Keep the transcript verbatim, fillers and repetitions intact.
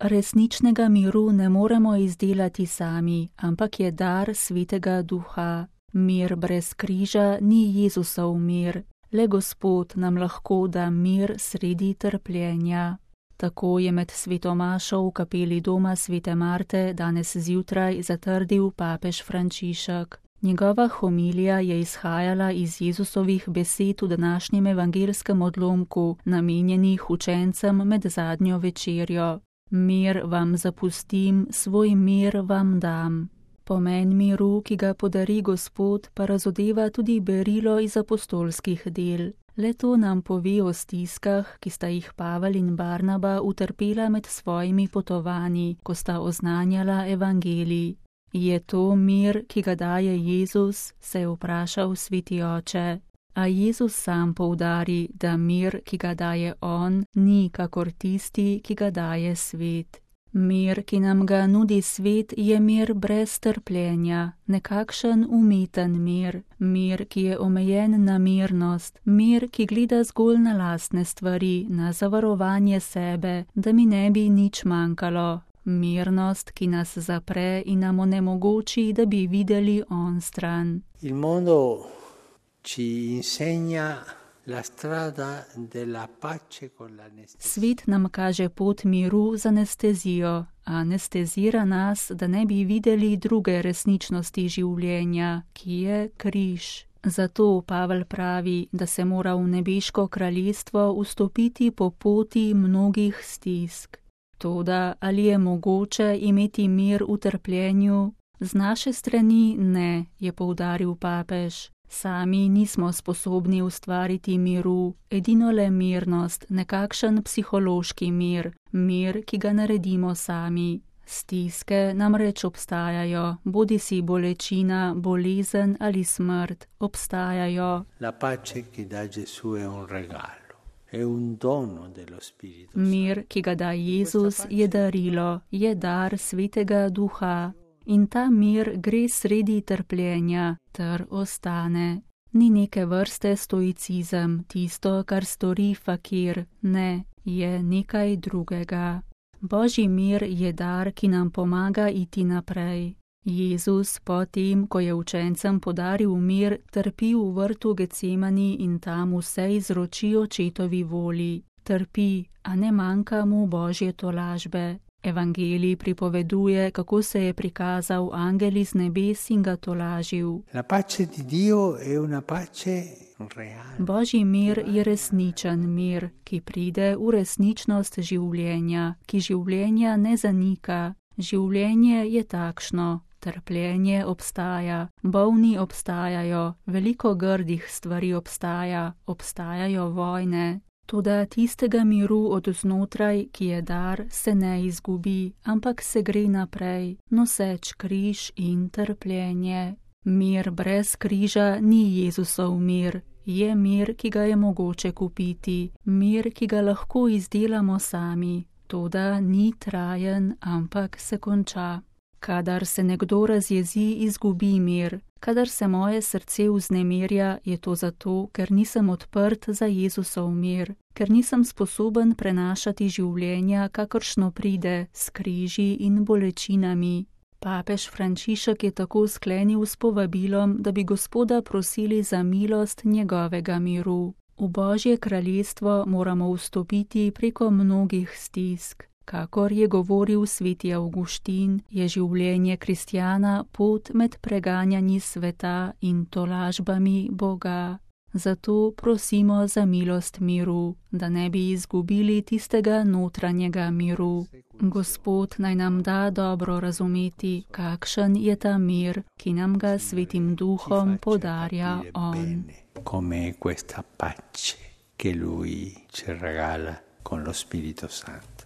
Resničnega miru ne moremo izdelati sami, ampak je dar Svetega Duha. Mir brez križa ni Jezusov mir, le Gospod nam lahko da mir sredi trpljenja. Tako je med sveto mašo v kapeli doma svete Marte danes zjutraj zatrdil papež Frančišek. Njegova homilija je izhajala iz Jezusovih besed v današnjem evangelskem odlomku, namenjenih učencem med zadnjo večerjo. Mir vam zapustim, svoj mir vam dam. Pomen miru, ki ga podari Gospod, pa razodeva tudi berilo iz apostolskih del. Le to nam pove o stiskah, ki sta jih Pavel in Barnaba utrpela med svojimi potovanji, ko sta oznanjala evangelij. Je to mir, ki ga daje Jezus, se je vprašal sveti oče. A Jezus sam poudari, da mir, ki ga daje on, ni kakor tisti, ki ga daje svet. Mir, ki nam ga nudi svet, je mir brez trpljenja, nekakšen umeten mir, mir, ki je omejen na mirnost, mir, ki gleda zgolj na lastne stvari, na zavarovanje sebe, da mi ne bi nič manjkalo. Mirnost, ki nas zapre in nam onemogoči, da bi videli on stran. Il mondo ci insegna la strada della pace con l'anestesia. Svet nam kaže pot miru z anestezijo, anestezira nas, da ne bi videli druge resničnosti življenja, ki je križ. Zato Pavel pravi, da se mora v nebeško kraljestvo vstopiti po poti mnogih stisk. Toda ali je mogoče imeti mir v trpljenju? Z naše strani ne, je poudaril papež. Sami nismo sposobni ustvariti miru, edino le mirnost, nekakšen psihološki mir, mir, ki ga naredimo sami. Stiske namreč obstajajo, bodisi bolečina, bolezen ali smrt, obstajajo. La pace che dà Gesù è un regalo. Mir, ki ga da Jezus, je darilo, je dar Svetega Duha. In ta mir gre sredi trpljenja, ter ostane. Ni neke vrste stoicizem, tisto, kar stori fakir, ne, je nekaj drugega. Božji mir je dar, ki nam pomaga iti naprej. Jezus potem, ko je učencem podaril mir, trpi v vrtu Getsemani in tam vse izroči očetovi volji. Trpi, a ne manjka mu Božje tolažbe. Evangelij pripoveduje, kako se je prikazal angel iz nebes in ga tolažil. La pace di Dio è una pace reale. Božji mir je resničen mir, ki pride v resničnost življenja, ki življenja ne zanika. Življenje je takšno. Trpljenje obstaja, bolni obstajajo, veliko grdih stvari obstaja, obstajajo vojne. Toda tistega miru od znotraj, ki je dar, se ne izgubi, ampak se gre naprej, noseč križ in trpljenje. Mir brez križa ni Jezusov mir, je mir, ki ga je mogoče kupiti, mir, ki ga lahko izdelamo sami. Toda ni trajen, ampak se konča. Kadar se nekdo razjezi, izgubi mir. Kadar se moje srce vznemirja, je to zato, ker nisem odprt za Jezusov mir, ker nisem sposoben prenašati življenja, kakršno pride, s križi in bolečinami. Papež Frančišek je tako sklenil s povabilom, da bi Gospoda prosili za milost njegovega miru. V Božje kraljestvo moramo vstopiti preko mnogih stisk. Kakor je govoril sveti Avguštin, je življenje kristjana pot med preganjanji sveta in tolažbami Boga. Zato prosimo za milost miru, da ne bi izgubili tistega notranjega miru. Gospod naj nam da dobro razumeti, kakšen je ta mir, ki nam ga Svetim Duhom podarja on. Come questa pace che lui ci regala con lo Spirito Santo.